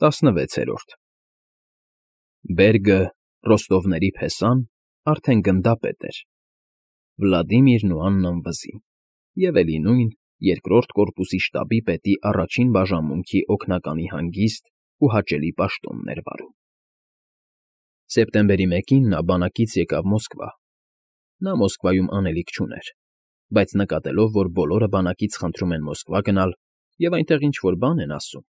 16-րդ Բերգը, Ռոստովների փեսան, արդեն գնդապետ էր, Վլադիմիրն ու Աննան վզին, և էլի նույն երկրորդ կորպուսի շտաբի պետի առաջին բաժանմունքի օգնականի հանգիստ ու հաճելի պաշտոնն էր վարում։ Սեպտեմբերի 1-ին նա բանակից եկավ Մոսկվա։ Նա Մոսկվայում անելիք չուներ, բայց նկատելով, որ բոլորը բանակից խնդրում են Մոսկվա գնալ և այնտեղ ինչ֊որ բան են ասում,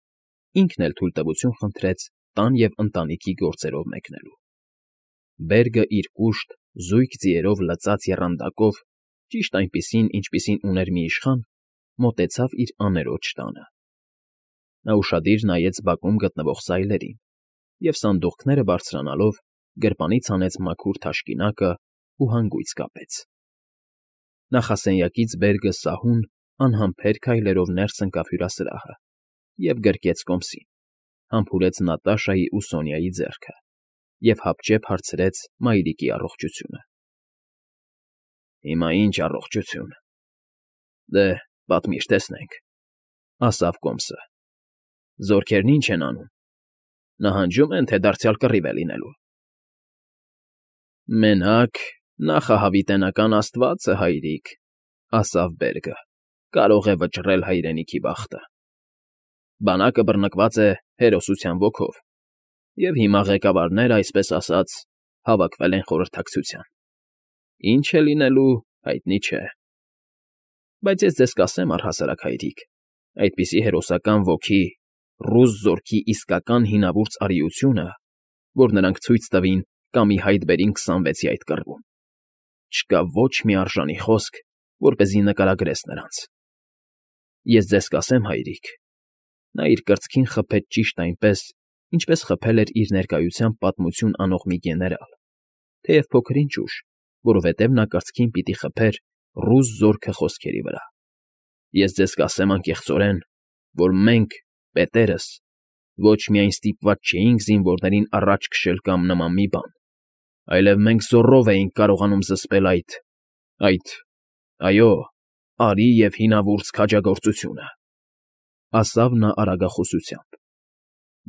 ինքն էլ թույլտվություն խնդրեց տան և ընտանիքի գործերով մեկնելու։ Բերգը իր կուշտ, զույգ ձիերով լցած եռանդակով, ճիշտ այնպիսին, ինչպիսին ուներ մի իշխան, մոտեցավ իր աներոջ տանը։ Նա ուշադիր նայեց բակում գտնվող սայլերին և, սանդուղքները բարձրանալով, գրպանից հանեց մաքուր թաշկինակն ու հանգույց կապեց։ Նախասենյակից Բերգը սահուն, անհամբեր քայլերով ներս ընկավ հյուրասրահը և գրկեց կոմսին, համբուրեց Նատաշայի ու Սոնյայի ձեռքը և հապճեպ հարցրեց մայրիկի առողջությունը։ ֊ Հիմա ինչ առողջություն, դե, պատմիր, տեսնենք, ֊ ասավ կոմսը։ ֊ Զորքերն ինչ են անում, նահանջո՞ւմ են, թե դարձյալ կռիվ է լինելու։ ֊ Մենակ նախահավիտենական աստվածը, հայրիկ, ֊ ասավ Բերգը, ֊ կարող է վճռել հայրենիքի բախտը։ Բանակը բռնկված է հերոսության ոգով, և հիմա ղեկավարները, այսպես ասած, հավաքվել են խորհրդակցության։ Ինչ է լինելու, հայտնի չէ։ Բայց ես ձեզ կասեմ, առհասարակ հայրիկ, այդպիսի հերոսական ոգի, ռուս զորքի իսկական հինավուրց արիությունը, որ նրանք ցույց տվին կամ ի հայտ բերին 26-ի այդ կռվում, չկա ոչ մի արժանի խոսք, որպեսզի նկարագրես նրանց։ Ես ձեզ կասեմ, հայրիկ, նա իր կրծքին խփեց ճիշտ այնպես, ինչպես խփել էր իր ներկայությամբ պատմություն անող մի գեներալ, թեև փոքր-ինչ ուշ, որովհետև նա կրծքին պիտի խփեր ռուս զորքը խոսքերի վրա։ Ես ձեզ կասեմ անկեղծորեն, որ մենք, պետերս, ոչ միայն ստիպված չէինք զինվորներին առաջ քշել կամ նման մի բան, այլև մենք զոռով էինք կարողանում զսպել այո, արի և հինավուրց քաջագործությունը, ֊ ասավ նա արագախոսությամբ։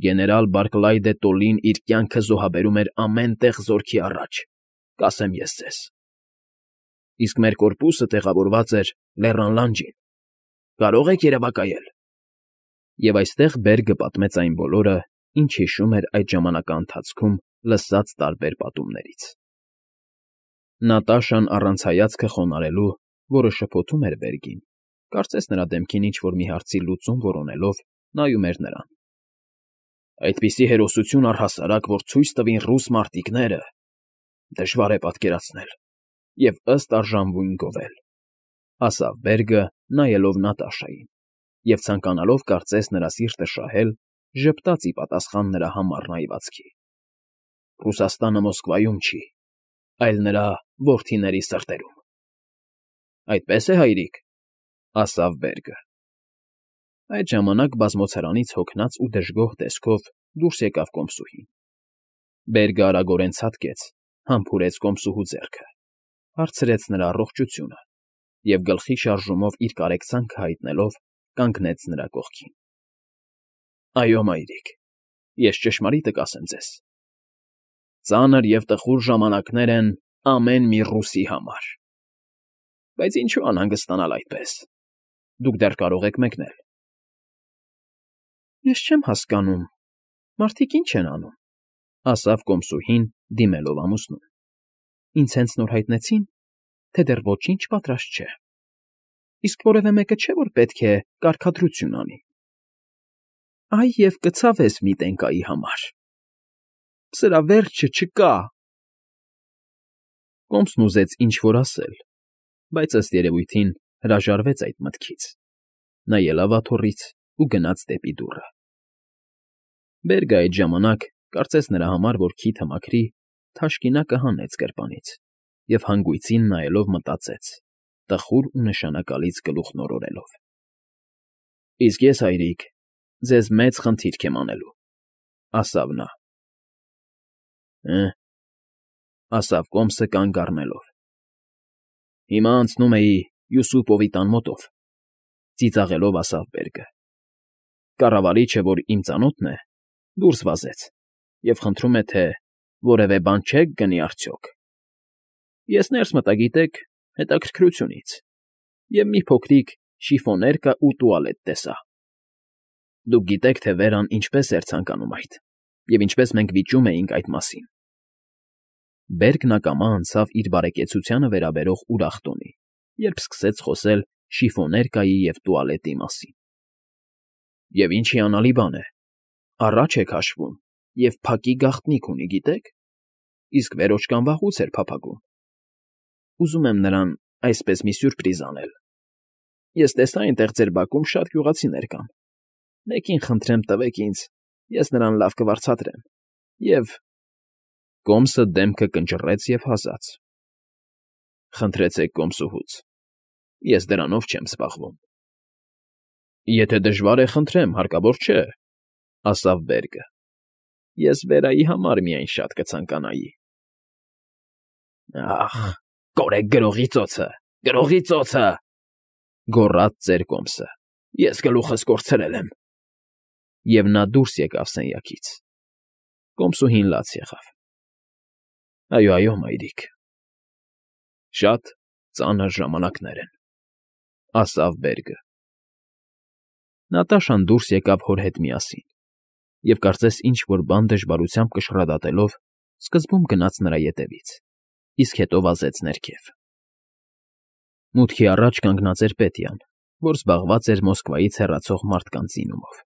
Գեներալ Բարքլայդը Տոլին իր կյանքը զոհաբերում էր ամեն տեղ զորքի առաջ, կասեմ ես ձեզ։ Իսկ մեր կորպուսը տեղավորված էր Լեռան լանջին, կարո՞ղ եք երևակայել։ Եվ այստեղ Բերգը պատմեց այն բոլորը, ինչ հիշում էր այդ ժամանակաընթացքում լսած տարբեր պատումներից։ Նատաշան առանց հայացքը խոնարհելու, որը շփոթում էր Բերգին, կարծես նրա դեմքին ինչ֊որ մի հարցի լուծում որոնելով, նայում էր նրան։ Այդպիսի հերոսություն առհասարակ, որ ցույց տվին ռուս մարտիկները, դժվար է պատկերացնել և ըստ արժանվույն գովել, ֊ ասավ Բերգը, նայելով Նատաշային, և ցանկանալով կարծես նրա սիրտը շահել, ժպտաց ի պատասխան նրա համառ նայվածքի։ Ռուսաստանը Մոսկվայում չի, այլ նրա որդիների սրտերում։ ֊ Այդպե՞ս է, հայրիկ, ֊ ասավ Բերգը։ Այդ ժամանակ բազմոցարանից հոգնած ու դժգոհ տեսքով դուրս եկավ կոմսուհին։ Բերգը արագորեն ցատկեց, համբուրեց կոմսուհու ձեռքը, հարցրեց նրա առողջությունը և գլխի շարժումով իր կարեկցանքը հայտնելով, կանգնեց նրա կողքին։ ֊ Այո, մայրիկ, ես ճշմարիտը կասեմ ձեզ. ծանր և տխուր ժամանակներ են ամեն մի ռուսի համար։ Բայց ինչու անհանգստանալ այդպես, դուք դեռ կարող եք մեկնել։ ֊ Ես չեմ հասկանում, մարդիկ ինչ են անում, ֊ ասավ կոմսուհին, դիմելով ամուսնուն։ Ինձ հենց նոր հայտնեցին, թե դեռ ոչինչ պատրաստ չէ։ Իսկ որևէ մեկը չէ, որ պետք է կարգադրություն անի։ Այ և կցավես մի տենկայի համար։ Սրա վերջը չկա։ Կոմսն ուզեց ինչ֊որ ասել, բայց ըստ երևույթին հրաժարվեց այդ մտքից։ Նա ելավ աթոռից ու գնաց դեպի դուռը։ Բերգը այդ ժամանակ, կարծես նրա համար, որ քիթը մաքրի, թաշկինակը հանեց գրպանից և հանգույցին նայելով մտածեց, տխուր ու նշանակալից գլուխն օրորելով. Իսկ ես, հայրիկ, ձեզ մեծ խնդիրք եմ անելու, ֊ ասավ նա։ Հը, ֊ ասավ կոմսը կանգ առնելով։ Հիմա անցնում էի Յուսուպովի տան մոտով, ֊ ծիծաղելով ասավ Բերգը։ Կառավարիչը, որ իմ ծանոթն է, դուրս վազեց և խնդրում է, թե որևէ բան չեք գնի արդյոք։ Ես ներս մտա, գիտեք, հետաքրքրությունից, և մի փոքրիկ շիֆոներկա ու տուալետ տեսա։ Դուք գիտեք, թե Վերան ինչպես էր ցանկանում այդ, և ինչպես մենք վիճում էինք այդ մասին։ Բերգն ակամա անցավ իր բարեկեցությանը վերաբերող ուրախ տոնի, երբ սկսեց խոսել շիֆոներկայի և տուալետի մասին։ Եվ ինչ հիանալի բան է, առաջ է քաշվում և փակի գաղտնիք ունի, գիտեք, իսկ վերոջկան վաղուց էր փափագում։ Ուզում եմ նրան այսպես մի սյուրպրիզ անել։ Ես տեսա այնտեղ ձեր բակում շատ գյուղացիներ կան։ Մեկին խնդրեմ տվեք ինձ, ես նրան լավ կվարձատրեմ, և… Կոմսը դեմքը կնճռեց և հասաց. Խնդրեցեք կոմսուհուց, ես դրանով չեմ զբաղվում։ Եթե դժվար է, խնդրեմ, հարկավոր չէ, ասավ Բերգը։ Ես Վերայի համար միայն շատ կցանկանայի։ Ախ, կորեք գրողի ծոցը, գրողի ծոցը, գոռաց ծեր կոմսը, ես գլուխս կորցրել եմ։ Եվ նա դուրս եկավ սենյակից։ Կոմսուհին լաց եղավ։ Այո, մայրիկ, շատ ծանր ժամանակներ են, ասավ Բերգը։ Նատաշան դուրս եկավ հոր հետ միասին, և կարծես ինչ֊որ բան դժվարությամբ կշռադատելով, սկզբում գնաց նրա ետևից, իսկ հետո վազեց ներքև։ Մուտքի առաջ կանգնած էր Պետյան, որ զբաղված էր Մոսկվայից հեռացող մարդկանց զինումով։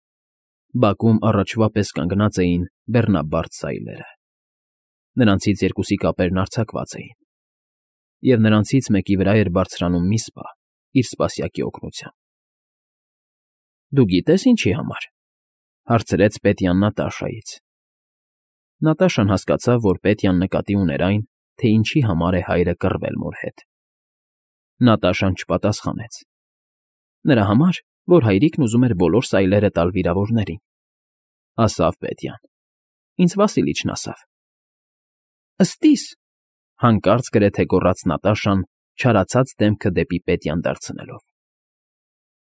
Բակում առաջվա պես կանգնած էին բեռնաբարդ սայլերը։ Նրանցից երկուսի կապերն արձակված էին, և նրանցից մեկի վրա էր բարձրանում մի սպա իր սպասյակի օգնությամբ։ Դու գիտե՞ս ինչի համար,֊ հարցրեց Պետյան Նատաշայից։ Նատաշան հասկացավ, որ Պետյան նկատի ուներ այն, թե ինչի համար է հայրը կռվել մոր հետ։ Նատաշան չպատասխանեց։ Նրա համար, որ հայրիկն ուզում էր բոլոր սայլերը տալ վիրավորներին,֊ ասավ Պետյան։ Ինձ Վասիլիչն ասավ։ Ըստիս,֊ հանկարծ գրեթե գոռաց Նատաշան, չարացած դեմքը դեպի Պետյան դարձնելով։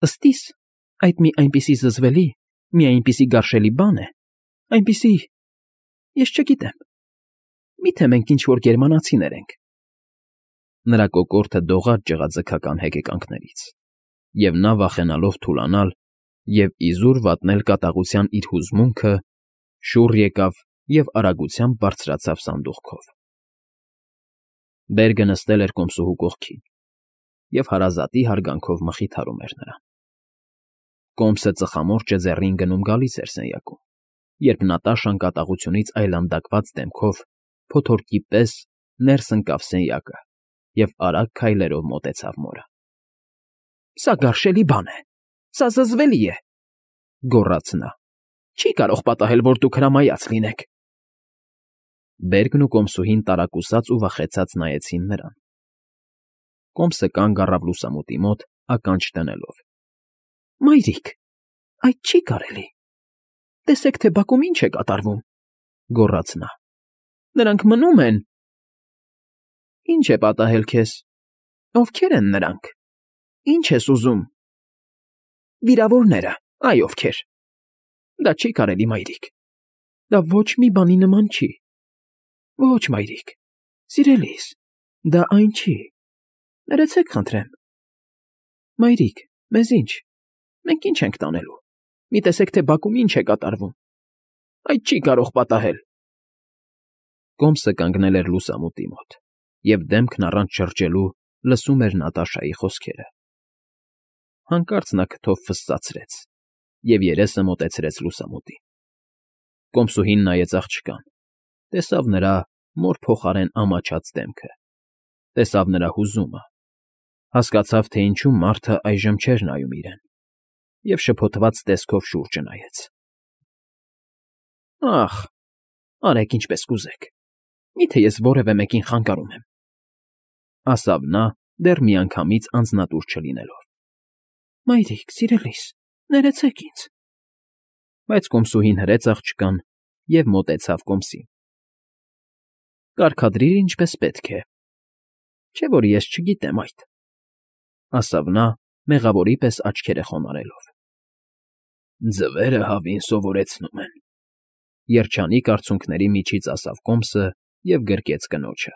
Ըստիս, այդ մի այնպիսի զզվելի, մի այնպիսի գարշելի բան է, այնպիսի… ես չգիտեմ… Մի՞թե մենք ինչ֊որ գերմանացիներ ենք… Նրա կոկորդը դողաց ջղաձգական հեկեկանքներից, և նա, վախենալով թուլանալ և իզուր վատնել կատաղության իր հուզմունքը, շուռ եկավ և արագությամբ բարձրացավ սանդուղքով։ Բերգը նստել էր կոմսուհու կողքին և հարազատի հարգանքով մխիթարում էր նրան։ Կոմսը ծխամորճը ձեռին գնում գալիս էր սենյակում, երբ Նատաշան կատաղությունից այլանդակված դեմքով փոթորկի պես ներս ընկավ սենյակը և արագ քայլերով մոտեցավ մորը։ Սա գարշելի բան է, սա զզվելի է,֊ գոռաց նա։ Չի կարող պատահել, որ դուք հրամայած լինեք։ Բերգն ու կոմսուհին տարակուսած ու վախեցած նայեցին նրան։ Կոմսը կանգ առավ լուսամուտի մոտ, ականջ դնելով։ Մայրիկ, այդ չի կարելի… Տեսեք, թե բակում ինչ է կատարվում,֊ գոռաց նա։ Նրանք մնում են… Ինչ է պատահել քեզ… Ովքե՞ր են նրանք… Ինչ ես ուզում… Վիրավորները… Այ ովքեր… Դա չի կարելի, մայրիկ… Դա ոչ մի բանի նման չի… Ոչ, մայրիկ… Սիրելիս… Դա այն չի… Ներեցեք, խնդրեմ… Մայրիկ, մեզ ինչ… Մենք ինչ ենք տանելու… Մի տեսեք, թե բակում ինչ է կատարվում… Այդ չի կարող պատահել… Կոմսը կանգնել էր լուսամուտի մոտ և դեմքն առանց շրջելու լսում էր Նատաշայի խոսքերը։ Հանկարծ նա քթով ֆսծացրեց և երեսը մոտեցրեց լուսամուտին։ Կոմսուհին նայեց աղջկան, տեսավ նրա մոր փոխարեն ամաչած դեմքը, տեսավ նրա հուզումը, հասկացավ, թե ինչու մարդը այժմ չէր նայում իրեն, և շփոթված տեսքով շուրջը նայեց։ Ախ, արեք ինչպես կուզեք, մի՞թե ես որևէ մեկին խանգարում եմ,֊ ասավ նա, դեռ միանգամից անձնատուր չլինելով։ Մայրիկ, սիրելիս, ներեցեք ինձ… Բայց կոմսուհին հրեց աղջկան և մոտեցավ կոմսին։ Կարգադրիր ինչպես պետք է, չէ՞ որ ես չգիտեմ այդ,֊ ասավ նա, մեղավորի պես աչքերը խոնարհելով։ Ձվերը հավին սովորեցնում են, Երջանիկ արցունքների միջից ասավ Կոմսը և գրկեց կնոջը,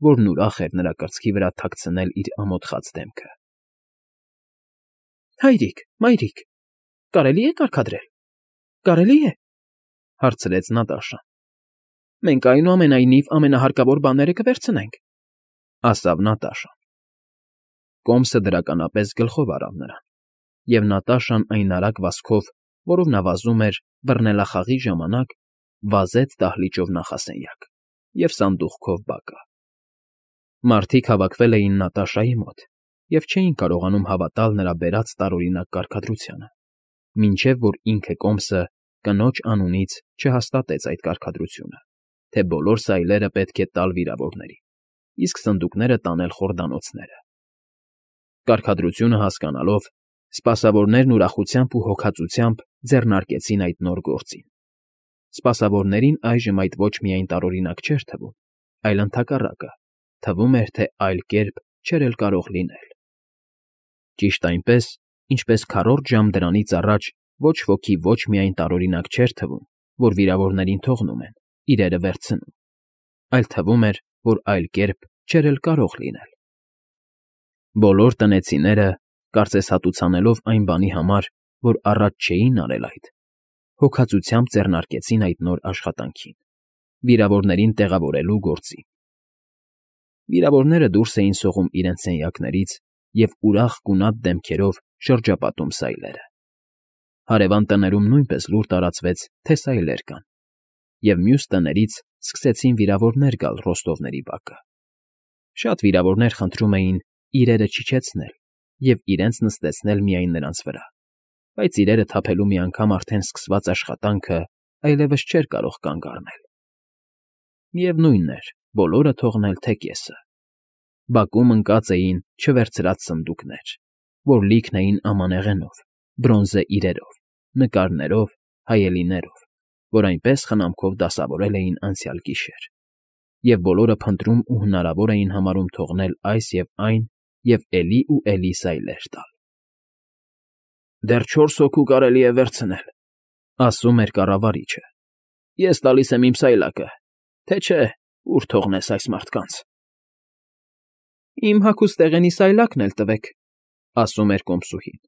որն ուրախ էր նրա կրծքի վրա թաքցնել իր ամոթխած դեմքը։ ֊ Հայրիկ, մայրիկ, կարելի է կարգադրել, կարելի է,֊ հարցրեց Նատաշան։ ֊ Մենք, այնուամենայնիվ, ամենահարկավոր բաները կվերցնենք,֊ ասավ Նատաշան։ Կոմսը դրականապես գլխով առավ նրան, և Նատաշան այն արագ վազքով, որով նա վազում էր բռնելախաղի ժամանակ, վազեց դահլիճով նախասենյակ և սանդուղքով բակը։ Մարդիկ հավաքվել էին Նատաշայի մոտ և չէին կարողանում հավատալ նրա բերած տարօրինակ կարգադրությանը, մինչև որ ինքը Կոմսը կնոջ անունից չհաստատեց այդ կարգադրությունը, թե բոլոր սայլերը պետք է տալ վիրավորներին, իսկ սնդուկները տանել խորդանոցները։ Կարգադրությունը հասկանալով, սպասավորներն ուրախությամբ ու հոգածությամբ ձեռնարկեցին այդ նոր գործին։ Սպասավորներին այժմ այդ ոչ միայն տարօրինակ չէր թվում, այլ ընդհակառակը, թվում էր, թե այլ կերպ չէր էլ կարող լինել։ Ճիշտ այնպես, ինչպես քառորդ ժամ դրանից առաջ ոչ ոքի ոչ միայն տարօրինակ չէր թվում, որ վիրավորներին թողնում են, իրերը վերցնում, այլ թվում էր, որ այլ կերպ չէր էլ կարող լինել։ Բոլոր տնեցիները, կարծես հատուցանելով այն բանի համար, որ առաջ չէին արել այդ, հոգածությամբ ձեռնարկեցին այդ նոր աշխատանքին՝ վիրավորներին տեղավորելու գործին։ Վիրավորները դուրս էին սողում իրենց սենյակներից և ուրախ գունատ դեմքերով շրջապատում սայլերը։ Հարևան տներում նույնպես լուր տարածվեց, թե սայլեր կան, և մյուս տներից սկսեցին վիրավորներ գալ ռոստովների բակը։ Շատ վիրավորներ խնդրում էին իրերը չիջեցնել և իրենց նստեցնել միայն նրանց վրա, բայց իրերը թափելու մի անգամ արդեն սկսված աշխատանքը այլևս չէր կարող կանգ առնել։ Միևնույն էր, բոլորը թողնել, թե կեսը։ Բակում ընկած էին չվերցրած սնդուկներ, որ լիքն էին ամանեղենով, բրոնզե իրերով, նկարներով, հայելիներով, որ այնպես խնամքով դասավորել էին անցյալ գիշեր, և բոլորը փնտրում ու հնարավոր էին համարում թողնել այս և այն և էլի ու էլի սայլեր տալ։ «Դեռ 4 հոգու կարելի է վերցնել,֊ ասում էր կառավարիչը։֊ Ես տալիս եմ իմ սայլակը, թե չէ ուր թողնես այս մարդկանց։ ֊ Իմ հագուստեղենի սայլակն էլ տվեք,֊ ասում էր կոմսուհին։֊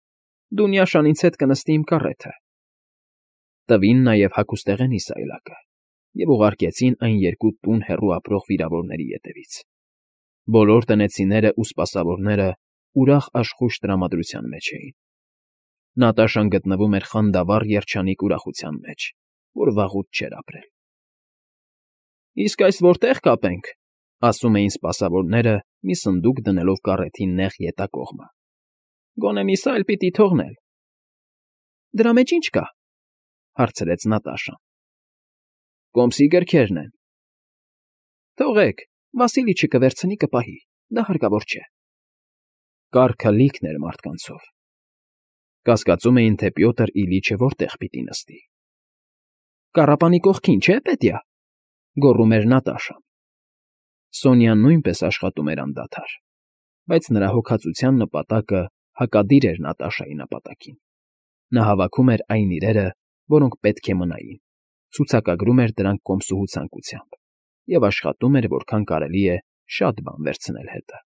Դունյաշան ինձ հետ կնստի իմ կառեթը։ Տվին նաև հագուստեղենի սայլակը և ուղարկեցին այն երկու տուն հեռու ապրող վիրավորների ետևից։ Բոլոր տնեցիներն ու սպասավորները ուրախ աշխույժ տրամադրության մեջ էին։ Նատաշան գտնվում էր խանդավառ երջանիկ ուրախության մեջ, որ վաղուց չէր ապրել։ ֊ Իսկ այս որտե՞ղ կապենք,֊ ասում էին սպասավորները, մի սնդուկ դնելով կառեթի նեղ ետակողմը։ ֊ Գոնե մի սայլ պիտի թողնել։ ֊ Դրա մեջ ի՞նչ կա,֊ հարցրեց Նատաշան։ ֊ Կոմսի գրքերն են։ ֊ Թողեք, Վասիլի չկվերցնի, կպահի, դա հարկավոր չէ։ Կառքը լիքն էր մարդկանցով։ Կասկածում էին, թե Պյոտր Իլիչը որտեղ պիտի նստի։ ֊ Կառապանի կողքին, չէ՞, Պետյա,֊ գոռում էր Նատաշան։ Սոնյան նույնպես աշխատում էր անդադար, բայց նրա հոգածության նպատակը հակադիր էր Նատաշայի նպատակին։ Նա հավաքում էր այն իրերը, որոնք պետք է մնային, ցուցակագրում էր դրանք կոմսուհու ցանկությամբ և աշխատում էր, որքան կարելի է շատ բան վերցնել հետը։